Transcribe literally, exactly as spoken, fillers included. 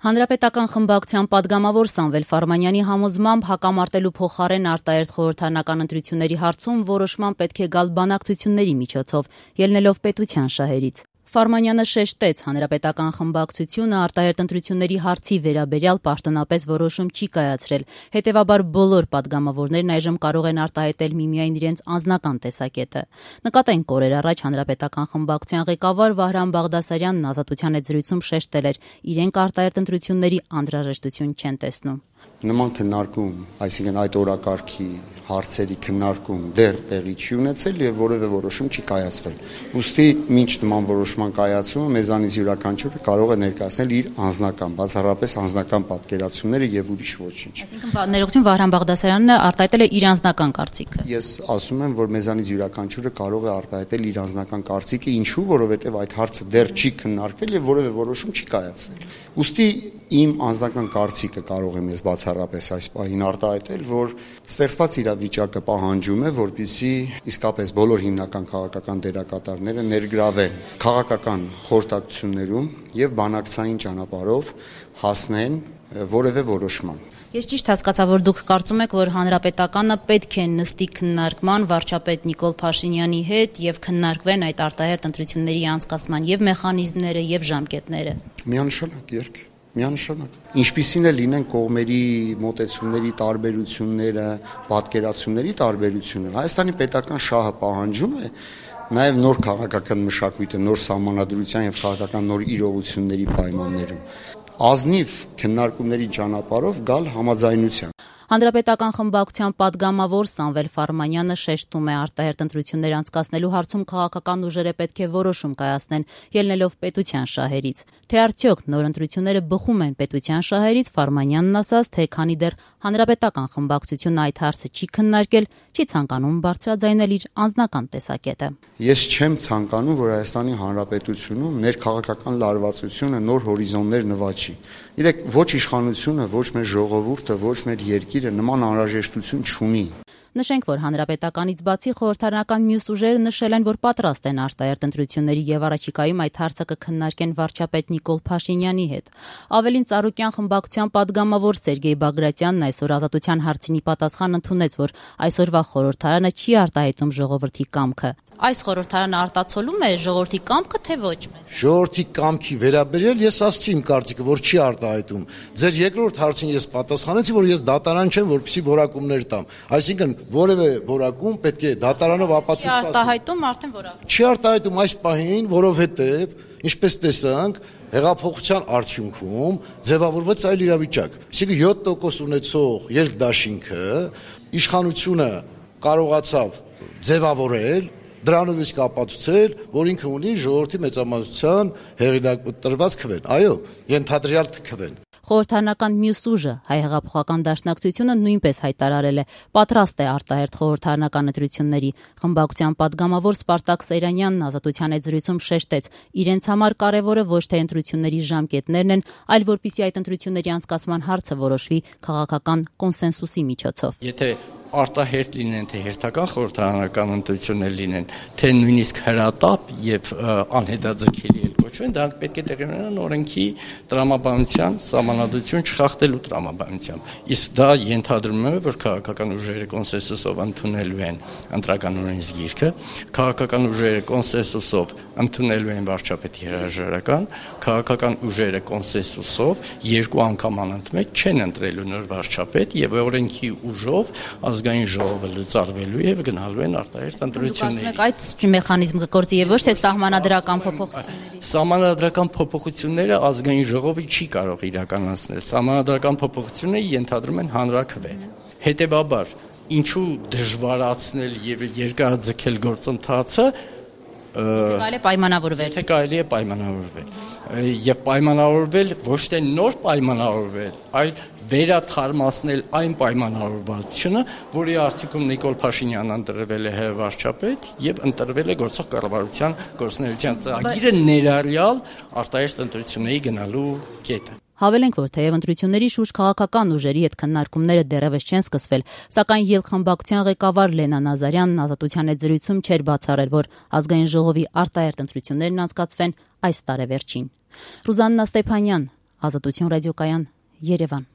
Հանրապետական խմբակցության պատգամավոր Սամվել Ֆարմանյանի համոզմամբ հակամարտելու փոխարեն արտահերթ խորհրդարանական ընտրությունների հարցում որոշման պետք է գալ բանակցությունների միջոցով, ելնելով պետության շահերից։ Ֆարմանյանը շեշտեց, հանրապետական խմբակցությունը արտահերթ ընտրությունների հարցի վերաբերյալ պաշտոնապես որոշում չի կայացրել, հետևաբար բոլոր պատգամավորներն այժմ կարող են արտահայտել միմիայն իրենց անձնական տեսակետը։ Նկատենք օրեր առաջ հանրապետական խմբակցության ղեկավար Վահրամ Բաղդասարյանն Ազատության հետ զրույցում շեշտել էր, իրենք արտահերթ ընտրությունների անհրաժեշտություն չեն տեսնում։ Նման քննարկում, այսինքն այդ օրակարգի հարցերի քննարկում դեռ տեղի չի ունեցել եւ որևէ որոշում չի կայացվել։ Ուստի մինչ նման որոշման կայացումը մեզանից յուրաքանչյուրը կարող է ներկայացնել իր անձնական, բացառապես անձնական պատկերացումները եւ ուրիշ ոչինչ։ Այսինքն ներողություն Վահրամ Բաղդասարյանը արտահայտել է իր անձնական կարծիքը։ Ես ասում եմ, որ մեզանից յուրաքանչյուրը կարող է արտահայտել իր անձնական կարծիքը, ինչու, որովհետեւ այդ հարցը դեռ չի քննարկվել եւ որևէ որոշում չի կայացվել։ Ուստի իմ անձնական կարծիքը կարող եմ ես բացառապես այս պահին արտահայտել, որ ստեղծված իրավիճակը պահանջում է, որպեսզի իսկապես բոլոր հիմնական քաղաքական դերակատարները ներգրավեն քաղաքական խորհրդակցություններում եւ բանակցային ճանապարհով հասնեն որևէ որոշման։ Ես ճիշտ հասկացա, որ դուք կարծում եք, որ հանրապետականը պետք է նստի քննարկման վարչապետ Նիկոլ Փաշինյանի հետ եւ քննարկվեն այդ արտահերթ ընտրությունների անցկացման եւ մեխանիզմները եւ ժամկետները։ Միանշանակ երկ Միանշանակ։ Ինչպիսին է լինեն կողմերի մոտեցումների տարբերությունները, պատկերացումների տարբերությունը, Հայաստանի պետական շահը պահանջում է նաև նոր քաղաքական մշակույթը, նոր սահմանադրության եւ քաղաքական նոր իրողությունների պայմաններում ազնիվ քննարկումների ճանապարհով գալ համաձայնության։ Հանրապետական խմբակցության պատգամավոր Սամվել Ֆարմանյանը շեշտում է արտահերթ ընտրություններ անցկացնելու հարցում քաղաքական ուժերը պետք է որոշում կայացնեն, ելնելով պետության շահերից։ Թե արդյոք նոր ընտրությունները բխում են պետության շահերից, Ֆարմանյանն ասաց, թե քանի դեռ հանրապետական խմբակցությունը այդ հարցը չի քննարկել, չի ցանկանում բարձրաձայնել իր անձնական տեսակետը։ Ես չեմ ցանկանում, որ Հայաստանի Հանրապետությունում ներքաղաքական լարվածությունը նոր հորիզոններ նվաճի։ Իրեք ոչ իշխանությունը, ոչ մեր ժողովուրդը, ոչ մեր երկիրը նման անհրաժեշտություն չունի։ Նշենք, որ հանրապետականից բացի խորհրդարանական մյուս ուժերը նշել են, որ պատրաստ են արտահերթ ընտրությունների եւ առաջիկայում այդ հարցը կքննարկեն վարչապետ Նիկոլ Փաշինյանի հետ։ Ավելին Ծառուկյան խմբակցության падգամավոր Սերգեյ Բագրատյանն այսօր Ազատության հարցինի պատասխան ընդունեց, որ այսօրվա խորհրդարանը չի արտահայտում ժողովրդի կամքը։ Այս խորհրդարանը արտացոլում է ժողովրդի կամքը, թե ոչ մեծ։ Ժողովրդի կամքի վերաբերյալ ես ասացի իմ կարծիքը, որ չի արտահայտում։ Ձեր երկրորդ հարցին ես պատասխանեցի, որ ես դատարան չեմ, որպեսզի որակումներ տամ։ Այսինքն որևէ որակում պետք է դատարանով ապացուցված։ Չի արտահայտում արդեն որակում։ Չի արտահայտում այս պահին, որովհետև ինչպես տեսանք, հեղափոխության արդյունքում ձևավորվեց այլ իրավիճակ։ Այսինքն յոթ տոկոս ունեցող երկդաշինքը իշխանությունը կարողացավ ձևավորել, դրանով իսկ ապացուցել, որ ինքը ունի ժողովրդի մեծամասնության հեղինակտրված քվեն։ Այո, ենթադրյալ քվեն։ Խորհրդարանական մյուս ուժը Հայ հեղափոխական դաշնակցությունը նույնպես հայտարարել է պատրաստ է արտահերթ խորհրդարանական ընտրությունների։ Խմբակցության падգամավոր Սպարտակ Սեյրանյանն Ազատության հետ զրույցում շեշտեց, իրենց համար կարևորը ոչ թե ընտրությունների ժամկետներն են, այլ որպեսզի այդ ընտրությունների անցկացման հարցը որոշվի քաղաքական կոնսենսուսի միջոցով։ Եթե արտահերթ լինեն, թե հերթական խորհրդարանական ընտրություններ լինեն, թե նույնիսկ հրատապ եւ անհետաձգելի էլ կոչվեն, դրանք պետք է տեղի ունենան օրենքի տրամաբանության սահմանադրություն չխախտելու տրամաբանությամբ։ Իսկ դա ենթադրում է, որ քաղաքական ուժերը կոնսենսուսով ընդունելու են ընտրական օրենսգիրքը, քաղաքական ուժերը կոնսենսուսով ընդունելու են վարչապետի հրաժարական, քաղաքական ուժերը կոնսենսուսով երկու անգամ անընդմեջ չեն ընտրելու նոր վարչապետ եւ օրենքի ուժով ազգային ժողովը լուծարվելու եւ գնալու են արտահերթ ընտրությունների։ Այդ մեխանիզմը կգործի եւ ոչ թե սահմանադրական փոփոխությունների։ Սահմանադրական փոփոխությունները ազգային ժողովը չի կարող իրականացնել։ Սահմանադրական փոփոխությունները ենթադրում են հանրաքվե։ Հետևաբար, ինչու դժվարացնել եւ երկարաձգել գործընթացը Կարելի է պայմանավորվել։ Թե կարելի է պայմանավորվել։ Եվ պայմանավորվել ոչ թե նոր պայմանավորվել, այլ վերաթարմացնել այն պայմանավորվածությունը, որի արդյունքում Նիկոլ Փաշինյանն ընտրվել է վարչապետ եւ ընտրվել է գործող կառավարության գործունեության ծրագիրը ներառյալ արտահերթ ընտրությունների գնալու կետը։ Հավելենք, որ թեև ընտրությունների շուրջ քաղաքական ուժերի հետ քննարկումները դեռևս չեն սկսվել, սակայն ելխմբակցության ղեկավար Լենա Նազարյանն Ազատության հետ զրույցում չէր բացառել, որ ազգային ժողովի արտահերթ ընտրություններն անցկացվեն այս տարեվերջին։ Ռուզաննա Ստեփանյան, Ազատություն ռադիոկայան, Երևան։